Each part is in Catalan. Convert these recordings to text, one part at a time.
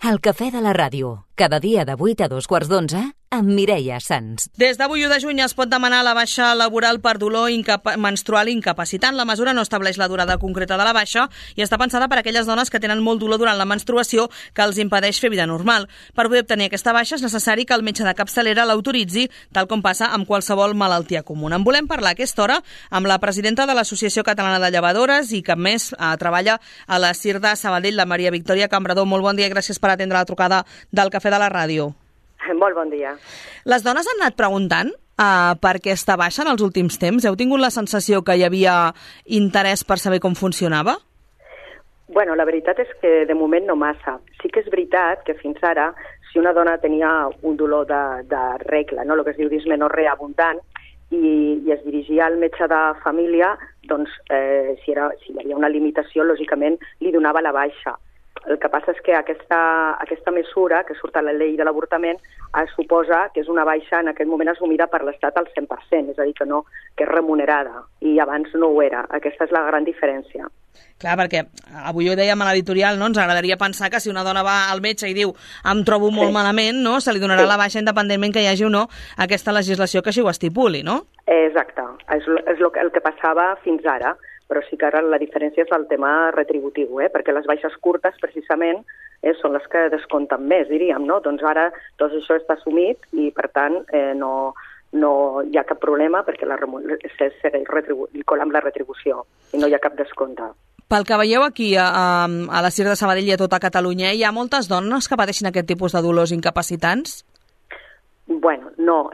El cafè de la ràdio, cada dia de 8 a 2:15, amb Mireia Sans. Des d'avui 1 de juny es pot demanar la baixa laboral per dolor menstrual incapacitant. La mesura no estableix la durada concreta de la baixa i està pensada per a aquelles dones que tenen molt dolor durant la menstruació que els impedeix fer vida normal. Per poder obtenir aquesta baixa és necessari que el metge de capçalera l'autoritzi, tal com passa amb qualsevol malaltia comuna. En volem parlar a aquesta hora amb la presidenta de l'Associació Catalana de Llevadores i que a més treballa a la CIR de Sabadell, la Maria Victòria Cambrador. Molt bon dia i gràcies per atendre la trucada del Cafè de la Ràdio. Molt bon dia. Les dones han anat preguntant per què està baixa en els últims temps? Heu tingut la sensació que hi havia interès per saber com funcionava? Bueno, la veritat és que de moment no massa. Sí que és veritat que fins ara, si una dona tenia un dolor de regla, no? El que es diu dismenorrea abundant, i es dirigia al metge de família, doncs si hi havia una limitació, lògicament li donava la baixa. El que passa és que aquesta mesura, que surt a la llei de l'avortament, suposa que és una baixa en aquest moment assumida per l'Estat al 100%, és a dir, que és remunerada, i abans no ho era. Aquesta és la gran diferència. Clar, perquè avui ho dèiem a l'editorial, no? Ens agradaria pensar que si una dona va al metge i diu em trobo molt malament, no? Se li donarà la baixa independentment que hi hagi o no aquesta legislació que així ho estipuli, no? Exacte, és el que passava fins ara. Però sí que ara la diferència és el tema retributiu, perquè les baixes curtes, precisament, són les que descompten més, diríem, no? Doncs ara tot això està assumit i, per tant, no hi ha cap problema perquè segueix colant la retribució i no hi ha cap descompte. Pel que veieu aquí, a la CIR de Sabadell i a tota Catalunya, hi ha moltes dones que pateixen aquest tipus de dolors incapacitants? Bueno, no.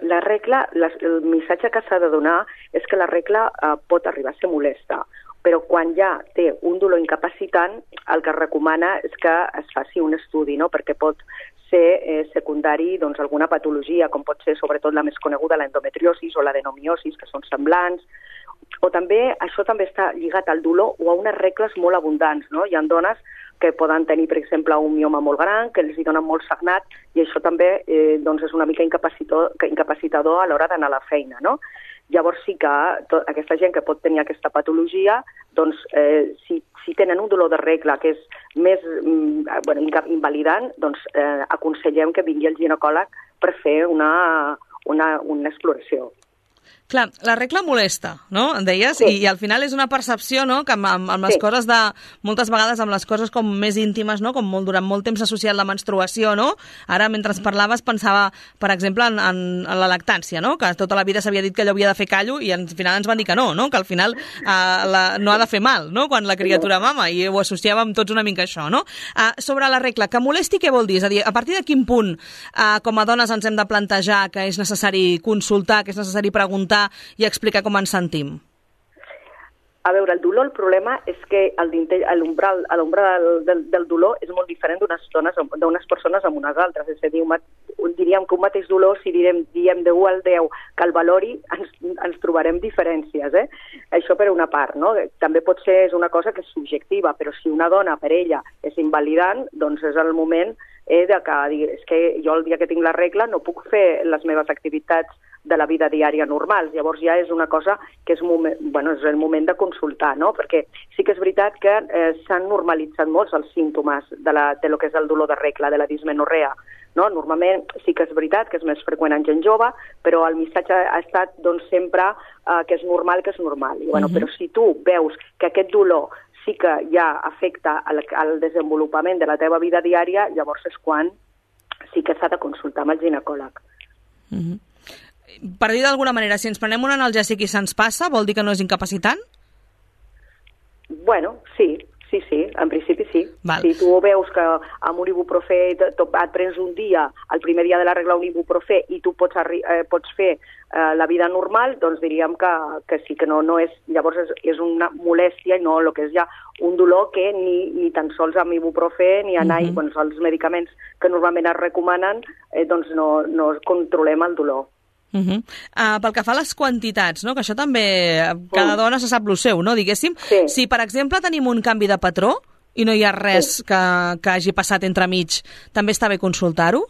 La regla, el missatge que s'ha de donar és que la regla pot arribar a ser molesta, però quan ja té un dolor incapacitant, el que es recomana és que es faci un estudi, no? Perquè pot ser secundari doncs, alguna patologia, com pot ser sobretot la més coneguda, l'endometriosis o l'adenomiosis, que són semblants, o també això també està lligat al dolor o a unes regles molt abundants, no? Hi ha dones que poden tenir, per exemple, un mioma molt gran, que els hi donen molt sagnat, i això també doncs és una mica incapacitador a l'hora d'anar a la feina, no? Llavors sí que aquesta gent que pot tenir aquesta patologia, doncs si tenen un dolor de regla que és més invalidant, doncs aconsellem que vingui el ginecòleg per fer una exploració. Clar, la regla molesta, no? En deies? Sí. I al final és una percepció, no?, que amb les coses moltes vegades amb les coses com més íntimes, no?, com durant molt temps associat la menstruació, no? Ara, mentre parlaves, pensava, per exemple, en la lactància, no?, que tota la vida s'havia dit que allò havia de fer callo i al final ens van dir que no, que al final no ha de fer mal, no?, quan la criatura mama, i ho associàvem tots una mica a això, no? Sobre la regla, que molesti, què vol dir? És a dir, a partir de quin punt, com a dones, ens hem de plantejar que és necessari consultar, que és necessari preguntar i explicar com ens sentim? A veure, el dolor, el problema és que l'umbral del dolor és molt diferent d'unes persones amb unes altres. És a dir, diríem que un mateix dolor, si diem de 1 al 10 que el valori, ens trobarem diferències. Això per una part, no? També pot ser una cosa que és subjectiva, però si una dona per ella és invalidant, doncs és el moment de que és que jo el dia que tinc la regla no puc fer les meves activitats de la vida diària normals. Llavors ja és una cosa que és el moment de consultar, no? Perquè sí que és veritat que s'han normalitzat molts els símptomes de lo que és el dolor de regla, de la dismenorrea, no? Normalment sí que és veritat que és més freqüent en gent jove, però el missatge ha estat doncs, sempre que és normal, I, però si tu veus que aquest dolor sí que ja afecta el desenvolupament de la teva vida diària, llavors és quan sí que s'ha de consultar amb el ginecòleg. Per dir d'alguna manera, si ens prenem un analgèsic i se'ns passa, vol dir que no és incapacitant? Bueno, sí, en principi sí. Val. Si tu veus que amb un ibuprofè et prens un dia, el primer dia de la regla un ibuprofè, i tu pots fer la vida normal, doncs diríem que sí, que no és... Llavors és una molèstia i no el que és ja un dolor que ni tan sols amb ibuprofè ni anar els medicaments que normalment es recomanen, doncs no controlem el dolor. Pel que fa a les quantitats, no? Que això també cada dona se sap el seu, no? Diguéssim, si per exemple tenim un canvi de patró i no hi ha res que hagi passat entremig, també està bé consultar-ho?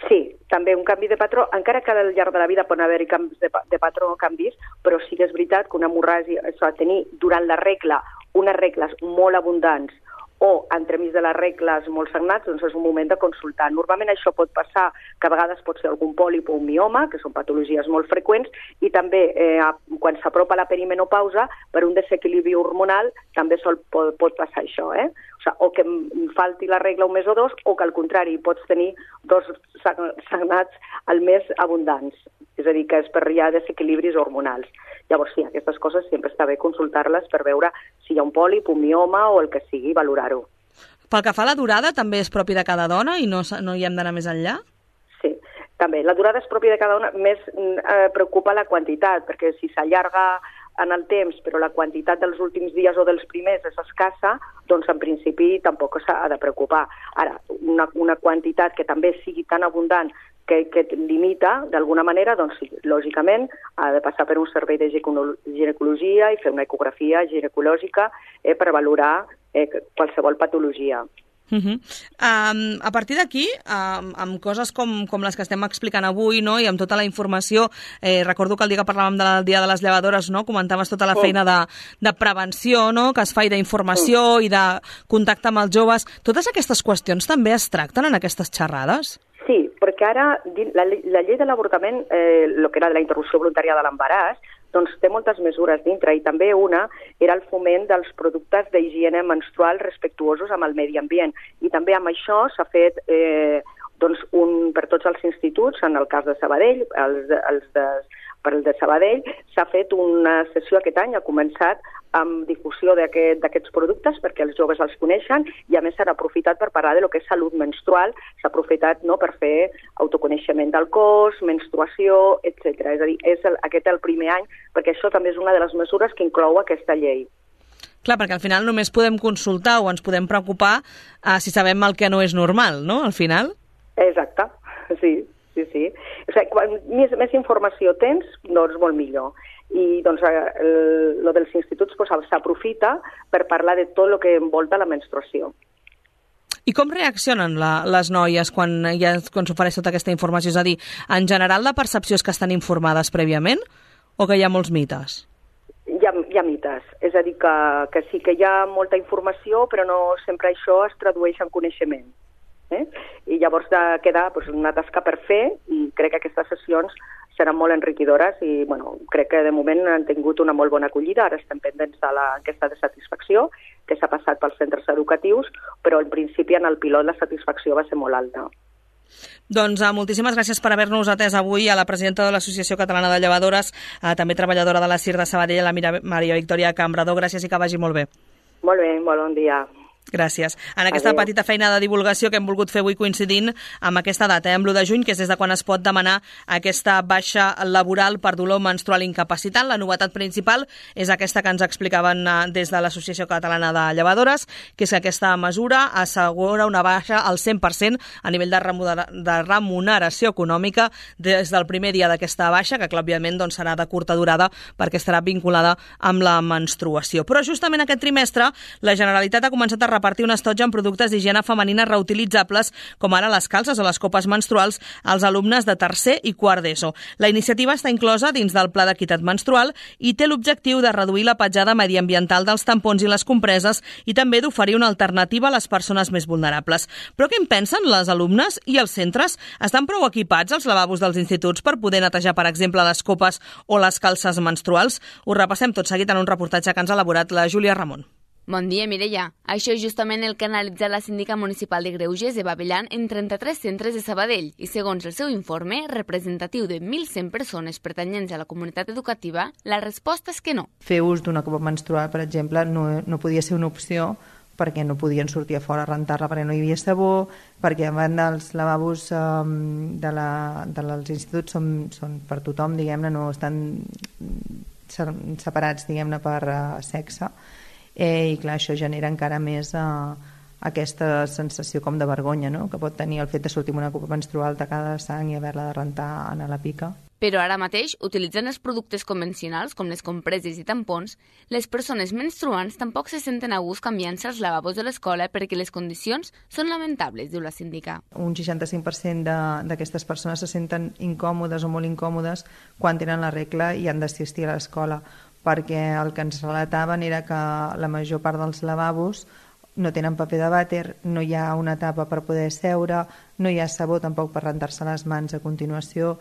Sí, també un canvi de patró, encara que al llarg de la vida poden haver-hi canvis de patró o canvis, però sí que és veritat que una hemorràgia, tenir durant la regla unes regles molt abundants o entremig de les regles molt sagnats, doncs és un moment de consultar. Normalment això pot passar, que a vegades pot ser algun pòlip o un mioma, que són patologies molt freqüents, i també quan s'apropa la perimenopausa, per un desequilibri hormonal, també pot passar això, o que falti la regla un mes o dos, o que al contrari pots tenir 2 sagnats al mes abundants. És a dir, que és per hi ha desequilibris hormonals. Llavors, sí, aquestes coses sempre està bé consultar-les per veure si hi ha un pòlip, un mioma o el que sigui, valorar-ho. Pel que fa a la durada, també és propi de cada dona i no hi hem d'anar més enllà? Sí, també. La durada és pròpia de cada dona, més preocupa la quantitat, perquè si s'allarga en el temps, però la quantitat dels últims dies o dels primers és escassa, doncs en principi tampoc s'ha de preocupar. Ara, una quantitat que també sigui tan abundant que et limita, d'alguna manera, doncs sí, lògicament ha de passar per un servei de ginecologia i fer una ecografia ginecològica per valorar qualsevol patologia. A partir d'aquí, amb coses com les que estem explicant avui, no? I amb tota la informació, recordo que el dia que parlàvem del Dia de les Llevadores, no? Comentaves tota la feina de prevenció, no? Que es fa, i d'informació i de contacte amb els joves. Totes aquestes qüestions també es tracten en aquestes xerrades? Sí, perquè ara la llei de l'avortament, el que era de la interrupció voluntària de l'embaràs, doncs té moltes mesures dintre, i també una era el foment dels productes d'higiene menstrual respectuosos amb el medi ambient. I també amb això s'ha fet per tots els instituts, en el cas de Sabadell, per el de Sabadell, s'ha fet una sessió aquest any, ha començat amb difusió d'aquests productes perquè els joves els coneixen, i a més s'ha aprofitat per parlar de lo que és salut menstrual, s'ha aprofitat per fer autoconeixement del cos, menstruació, etc. És a dir, aquest el primer any, perquè això també és una de les mesures que inclou aquesta llei. Clar, perquè al final només podem consultar o ens podem preocupar si sabem el que no és normal, no?, al final? Exacte, sí. O sigui, quan més informació tens, doncs molt millor. I doncs lo dels instituts s'aprofita per parlar de tot el que envolta la menstruació. I com reaccionen les noies quan s'ofereix tota aquesta informació? És a dir, en general la percepció és que estan informades prèviament o que hi ha molts mites? Hi ha mites, és a dir, que sí que hi ha molta informació, però no sempre això es tradueix en coneixement. I llavors queda una tasca per fer, i crec que aquestes sessions seran molt enriquidores i crec que de moment han tingut una molt bona acollida. Ara estem pendents de l'enquesta de satisfacció que s'ha passat pels centres educatius, però en principi en el pilot la satisfacció va ser molt alta. Doncs moltíssimes gràcies per haver-nos atès avui a la presidenta de l'Associació Catalana de Llevadores, també treballadora de la CIR de Sabadell, la Maria Victòria Cambrador. Gràcies i que vagi molt bé. Molt bé, molt bon dia. Gràcies. En aquesta petita feina de divulgació que hem volgut fer avui coincidint amb aquesta data, amb l'1 de juny, que és des de quan es pot demanar aquesta baixa laboral per dolor menstrual incapacitant. La novetat principal és aquesta que ens explicaven des de l'Associació Catalana de Llevadores, que és que aquesta mesura assegura una baixa al 100% a nivell de remuneració econòmica des del primer dia d'aquesta baixa, que òbviament serà de curta durada perquè estarà vinculada amb la menstruació. Però justament aquest trimestre la Generalitat ha començat a repartir un estoig en productes d'higiene femenina reutilitzables, com ara les calces o les copes menstruals, als alumnes de tercer i quart d'ESO. La iniciativa està inclosa dins del Pla d'Equitat Menstrual i té l'objectiu de reduir la petjada mediambiental dels tampons i les compreses i també d'oferir una alternativa a les persones més vulnerables. Però què en pensen les alumnes i els centres? Estan prou equipats els lavabos dels instituts per poder netejar, per exemple, les copes o les calces menstruals? Ho repassem tot seguit en un reportatge que ens ha elaborat la Júlia Ramon. Bon dia, Mireia. Això és justament el que ha analitzat la síndica municipal de Greuges, Eva Bellan, en 33 centres de Sabadell i, segons el seu informe, representatiu de 1.100 persones pertanyents a la comunitat educativa, la resposta és que no. Fer ús d'una copa menstrual, per exemple, no podia ser una opció perquè no podien sortir a fora a rentar-la perquè no hi havia sabó, perquè a banda els lavabos dels instituts són per tothom, diguem-ne, no estan separats, diguem-ne, per sexe. I clar, això genera encara més aquesta sensació com de vergonya, no?, que pot tenir el fet de sortir amb una copa menstrual tacada de sang i haver-la de rentar a la pica. Però ara mateix, utilitzant els productes convencionals, com les compreses i tampons, les persones menstruants tampoc se senten a gust canviant-se als lavabos de l'escola perquè les condicions són lamentables, diu la síndica. Un 65% d'aquestes persones se senten incòmodes o molt incòmodes quan tenen la regla i han d'assistir a l'escola, perquè el que ens relataven era que la major part dels lavabos no tenen paper de vàter, no hi ha una tapa per poder seure, no hi ha sabó tampoc per rentar-se les mans a continuació.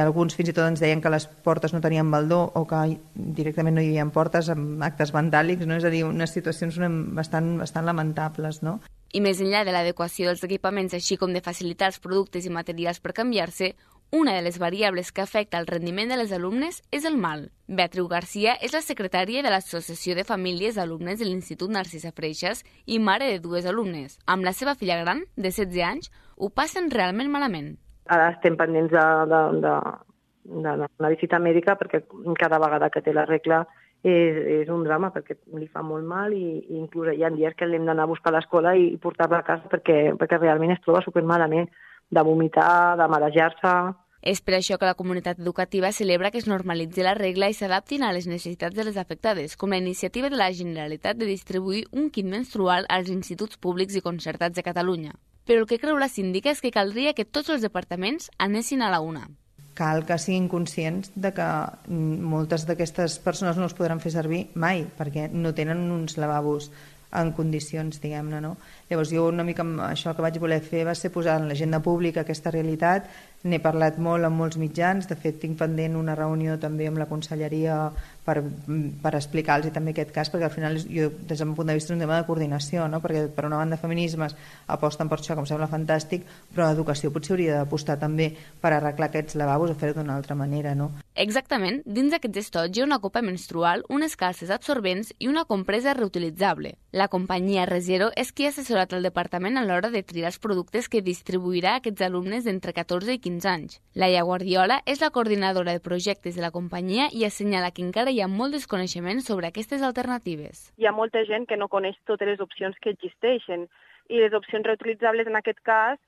Alguns fins i tot ens deien que les portes no tenien baldó o que directament no hi havia portes amb actes vandàlics, no? És a dir, unes situacions bastant lamentables, no? I més enllà de l'adequació dels equipaments, així com de facilitar els productes i materials per canviar-se, una de les variables que afecta el rendiment de les alumnes és el mal. Beatriu Garcia és la secretària de l'Associació de Famílies d'Alumnes de l'Institut Narcisa Freixas i mare de 2 alumnes. Amb la seva filla gran, de 16 anys, ho passen realment malament. Ara estem pendents d'una visita mèdica perquè cada vegada que té la regla és un drama perquè li fa molt mal i inclús hi ha dies que l'hem d'anar a buscar a l'escola i portar-la a casa perquè realment es troba supermalament, de vomitar, de marejar-se. És per això que la comunitat educativa celebra que es normalitzi la regla i s'adaptin a les necessitats de les afectades, com la iniciativa de la Generalitat de distribuir un kit menstrual als instituts públics i concertats de Catalunya. Però el que creu la síndica és que caldria que tots els departaments anessin a la una. Cal que siguin conscients de que moltes d'aquestes persones no els podran fer servir mai, perquè no tenen uns lavabos en condicions, diguem-ne, no? Llavors jo una mica això que vaig voler fer va ser posar en l'agenda pública aquesta realitat. N'he parlat molt amb molts mitjans, de fet tinc pendent una reunió també amb la conselleria per explicar-los també aquest cas, perquè al final jo, des del meu punt de vista, és un tema de coordinació, no? Perquè per una banda feminismes aposten per això, que em sembla fantàstic, però l'educació potser hauria d'apostar també per arreglar aquests lavabos o fer-ho d'una altra manera, no? Exactament, dins d'aquests estots hi ha una copa menstrual, unes calces absorbents i una compresa reutilitzable. La companyia Resero és qui ha assessorat el departament a l'hora de triar els productes que distribuirà a aquests alumnes d'entre 14 i 15 anys. Laia Guardiola és la coordinadora de projectes de la companyia i assenyala que encara hi ha molt desconeixement sobre aquestes alternatives. Hi ha molta gent que no coneix totes les opcions que existeixen i les opcions reutilitzables en aquest cas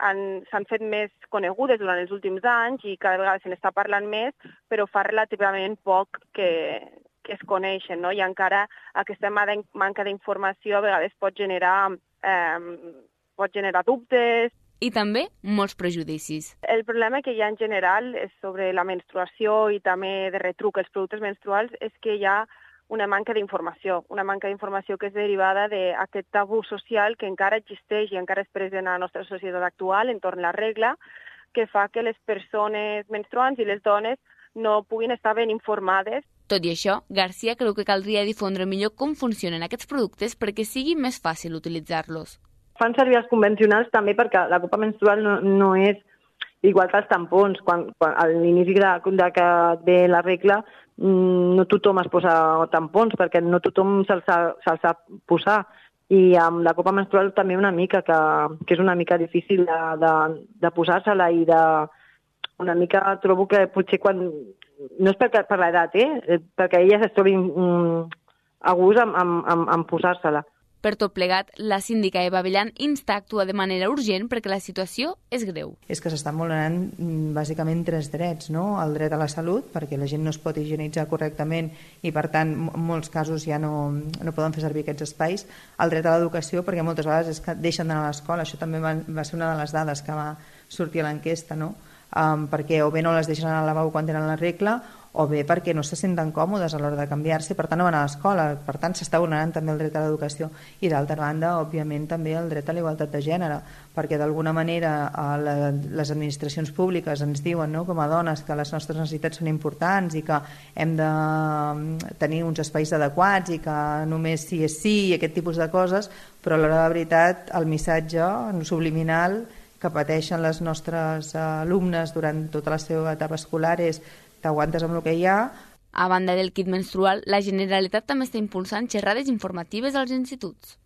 s'han fet més conegudes durant els últims anys i cada vegada se n'està parlant més, però fa relativament poc que es coneixen, no? I encara aquesta manca d'informació a vegades pot generar dubtes. I també molts prejudicis. El problema que hi ha en general és sobre la menstruació i també de retruc els productes menstruals és que hi ha una manca d'informació que és derivada d'aquest tabú social que encara existeix i encara és present a la nostra societat actual entorn a la regla, que fa que les persones menstruants i les dones no puguin estar ben informades. Tot i això, Garcia creu que caldria difondre millor com funcionen aquests productes perquè sigui més fàcil utilitzar-los. Fan servir els convencionals també perquè la copa menstrual no és igual que els tampons. Quan a l'inici de que ve la regla no tothom es posa tampons perquè no tothom se'ls sap posar. I amb la copa menstrual també una mica, que és una mica difícil de posar-se-la i una mica trobo que potser quan... No és per l'edat, perquè ella es trobi a gust en posar-se-la. Per tot plegat, la síndica Eva Abellán insta a actuar de manera urgent perquè la situació és greu. És que s'estan vulnerant bàsicament 3 drets, no? El dret a la salut, perquè la gent no es pot higienitzar correctament i per tant en molts casos ja no poden fer servir aquests espais. El dret a l'educació, perquè moltes vegades és que deixen d'anar a l'escola, això també va ser una de les dades que va sortir a l'enquesta, no? Perquè o bé no les deixen anar al lavabo quan tenen la regla o bé perquè no se senten còmodes a l'hora de canviar-se i per tant no van a l'escola, per tant s'està vulnerant també el dret a l'educació i d'altra banda òbviament també el dret a la igualtat de gènere, perquè d'alguna manera les administracions públiques ens diuen, no, com a dones que les nostres necessitats són importants i que hem de tenir uns espais adequats i que només sí és sí i aquest tipus de coses, però a l'hora de la veritat el missatge subliminal que pateixen les nostres alumnes durant tota la seva etapa escolar és t'aguantes amb el que hi ha. A banda del kit menstrual, la Generalitat també està impulsant xerrades informatives als instituts.